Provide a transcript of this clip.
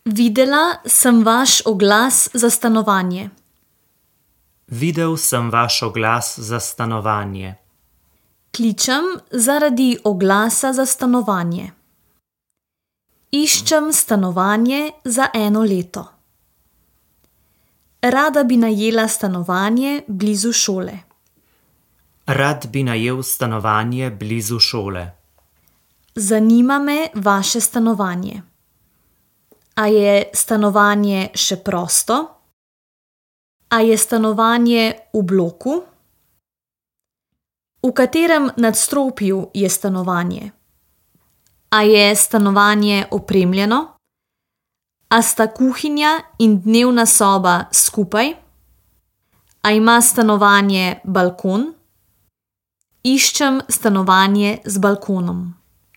Videla sem vaš oglas za stanovanje. Videl sem vaš oglas za stanovanje. Kličem zaradi oglasa za stanovanje. Iščem stanovanje za 1 leto. Rada bi najela stanovanje blizu šole. Rad bi najel stanovanje blizu šole. Zanima me vaše stanovanje. A je stanovanje še prosto? A je stanovanje v bloku? V katerem nadstropju je stanovanje? A je stanovanje opremljeno? A sta kuhinja in dnevna soba skupaj? A ima stanovanje balkon? Iščem stanovanje z balkonom.